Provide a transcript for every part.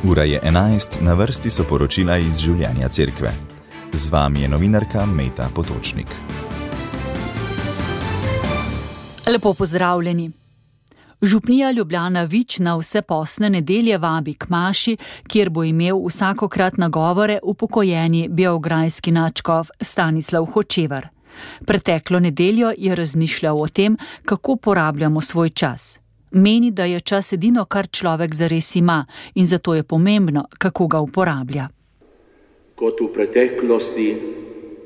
Ura je 11, na vrsti so poročila iz življenja cerkve. Z vami je novinarka Meta Potočnik. Lepo pozdravljeni. Župnija Ljubljana Vič na vse postne nedelje vabi k maši, kjer bo imel vsakokrat nagovore upokojeni beograjski nadškof Stanislav Hočevar. Preteklo nedeljo je razmišljal o tem, kako porabljamo svoj čas. Meni, da je čas edino, kar človek zares ima, in zato je pomembno, kako ga uporablja. Kot v preteklosti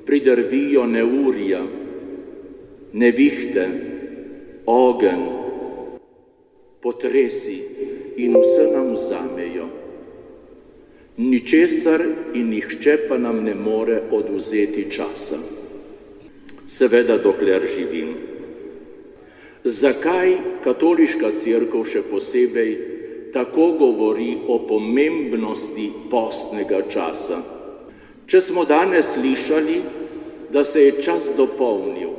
pridrvijo neurja, nevihte, ogenj, potresi in vse nam vzamejo. Ničesar in nihče pa nam ne more odvzeti časa. Seveda, dokler živim. Zakaj katoliška cerkev še posebej tako govori o pomembnosti postnega časa? Če smo danes slišali, da se je čas dopolnil,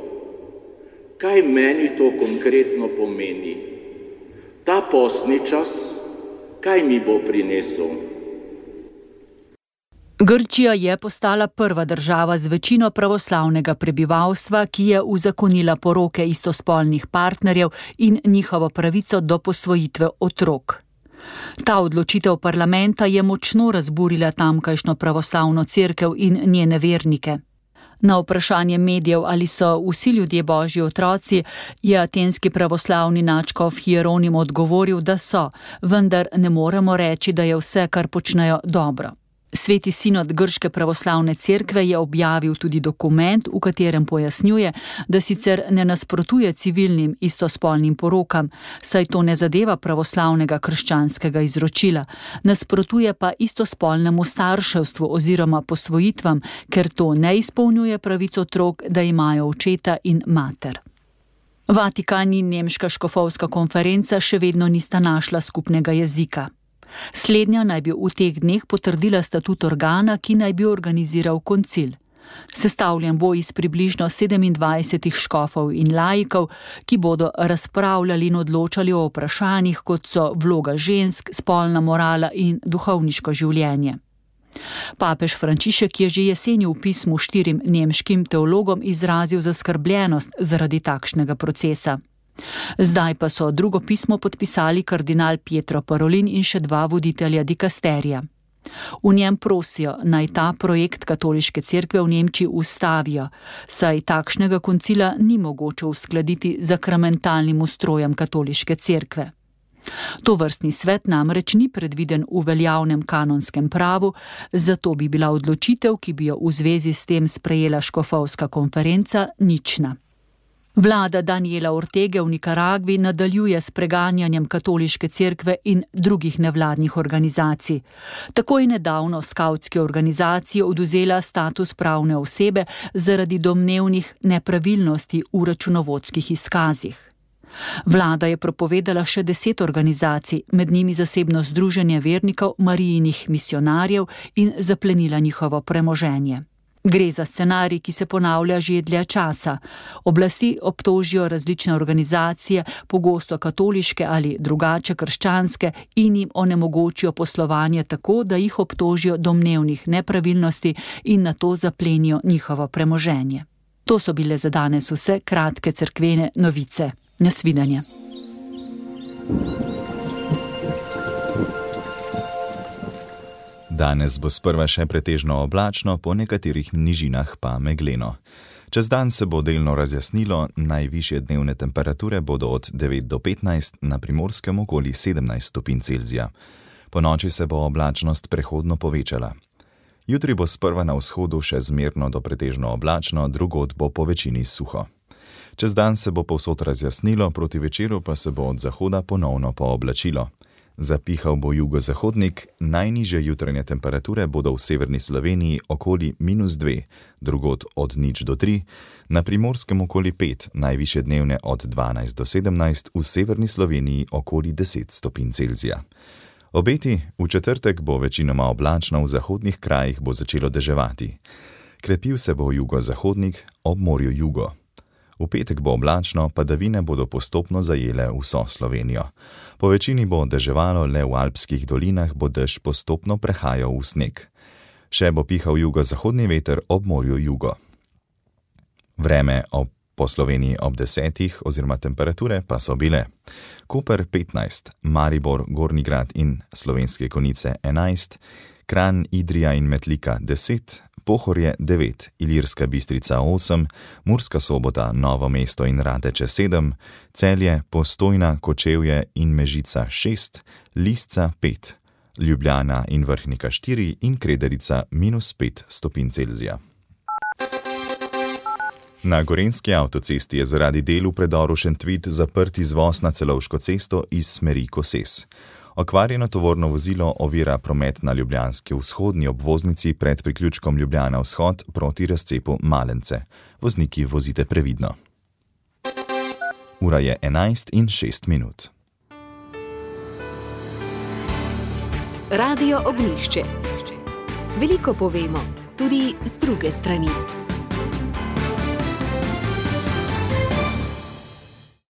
kaj meni to konkretno pomeni? Ta postni čas, kaj mi bo prinesel? Grčija je postala prva država z večino pravoslavnega prebivalstva, ki je uzakonila poroke istospolnih partnerjev in njihovo pravico do posvojitve otrok. Ta odločitev parlamenta je močno razburila tamkajšnjo pravoslavno cerkev in njene vernike. Na vprašanje medijev, ali so vsi ljudje božji otroci, je atenski pravoslavni nadškof Hieronim odgovoril, da so, vendar ne moremo reči, da je vse, kar počnejo, dobro. Sveti sinod grške pravoslavne cerkve je objavil tudi dokument, v katerem pojasnjuje, da sicer ne nasprotuje civilnim istospolnim porokam, saj to ne zadeva pravoslavnega krščanskega izročila, nasprotuje pa istospolnemu starševstvu oziroma posvojitvam, ker to ne izpolnjuje pravic otrok, da imajo očeta in mater. Vatikan in nemška škofovska konferenca še vedno nista našla skupnega jezika. Slednja naj bi v teh dneh potrdila statut organa, ki naj bi organiziral koncil. Sestavljen bo iz približno 27 škofov in laikov, ki bodo razpravljali in odločali o vprašanjih, kot so vloga žensk, spolna morala in duhovniško življenje. Papež Frančišek je že jeseni v pismu 4 nemškim teologom izrazil zaskrbljenost zaradi takšnega procesa. Zdaj pa so drugo pismo podpisali kardinal Pietro Parolin in še 2 voditelja dikasterija. V njem prosijo, naj ta projekt katoliške cerkve v Nemčiji ustavijo, saj takšnega koncila ni mogoče uskladiti z sakramentalnim ustrojem katoliške cerkve. Tovrstni svet namreč ni predviden v veljavnem kanonskem pravu, zato bi bila odločitev, ki bi jo v zvezi s tem sprejela škofovska konferenca, nična. Vlada Daniela Ortege v Nikaragvi nadaljuje s preganjanjem katoliške cerkve in drugih nevladnih organizacij. Tako je nedavno skavtski organizaciji odvzela status pravne osebe zaradi domnevnih nepravilnosti v računovodskih izkazih. Vlada je prepovedala še 10 organizacij, med njimi zasebno združenje vernikov Marijinih misionarjev, in zaplenila njihovo premoženje. Gre za scenarij, ki se ponavlja že dlje časa. Oblasti obtožijo različne organizacije, pogosto katoliške ali drugače krščanske, in jim onemogočijo poslovanje tako, da jih obtožijo domnevnih nepravilnosti in nato zaplenijo njihovo premoženje. To so bile za danes vse kratke cerkvene novice. Nasvidenje. Danes bo sprva še pretežno oblačno, po nekaterih nižinah pa megleno. Čez dan se bo delno razjasnilo, najvišje dnevne temperature bodo od 9 do 15, na Primorskem okoli 17 stopinj Celzija. Ponoči se bo oblačnost prehodno povečala. Jutri bo sprva na vzhodu še zmerno do pretežno oblačno, drugod bo po večini suho. Čez dan se bo povsod razjasnilo, proti večeru pa se bo od zahoda ponovno pooblačilo. Zapihal bo jugozahodnik, najnižje jutranje temperature bodo v severni Sloveniji okoli -2, drugod od 0 do 3, na Primorskem okoli 5, najvišje dnevne od 12 do 17, v severni Sloveniji okoli 10 stopinj Celzija. Obeti, v četrtek bo večinoma oblačno, v zahodnih krajih bo začelo deževati. Krepil se bo jugozahodnik, ob morju jugo. V petek bo oblačno, padavine bodo postopno zajele vso Slovenijo. Po večini bo deževalo, le v alpskih dolinah bo dež postopno prehajal v sneg. Še bo pihal jugozahodni veter, ob morju jugo. Vreme po Sloveniji ob 10 oziroma temperature pa so bile: Koper 15, Maribor, Gornji Grad in Slovenske Konjice 11, Kranj, Idrija in Metlika 10, Pohorje 9, Ilirska Bistrica 8, Murska Sobota, Novo mesto in Radeče 7, Celje, Postojna, Kočevje in Mežica 6, Lisca 5, Ljubljana in Vrhnika 4 in Krederica -5 stopinj Celzija. Na Gorenjski avtocesti je zaradi del v predoru Šentvid zaprt izvoz na Celovško cesto iz smeri Koses. Okvarjeno tovorno vozilo ovira promet na ljubljanski vzhodni obvoznici pred priključkom Ljubljana vzhod proti razcepu Malence. Vozniki vozite previdno. Ura je 11:06. Radio Ognjišče. Veliko povemo, tudi z druge strani.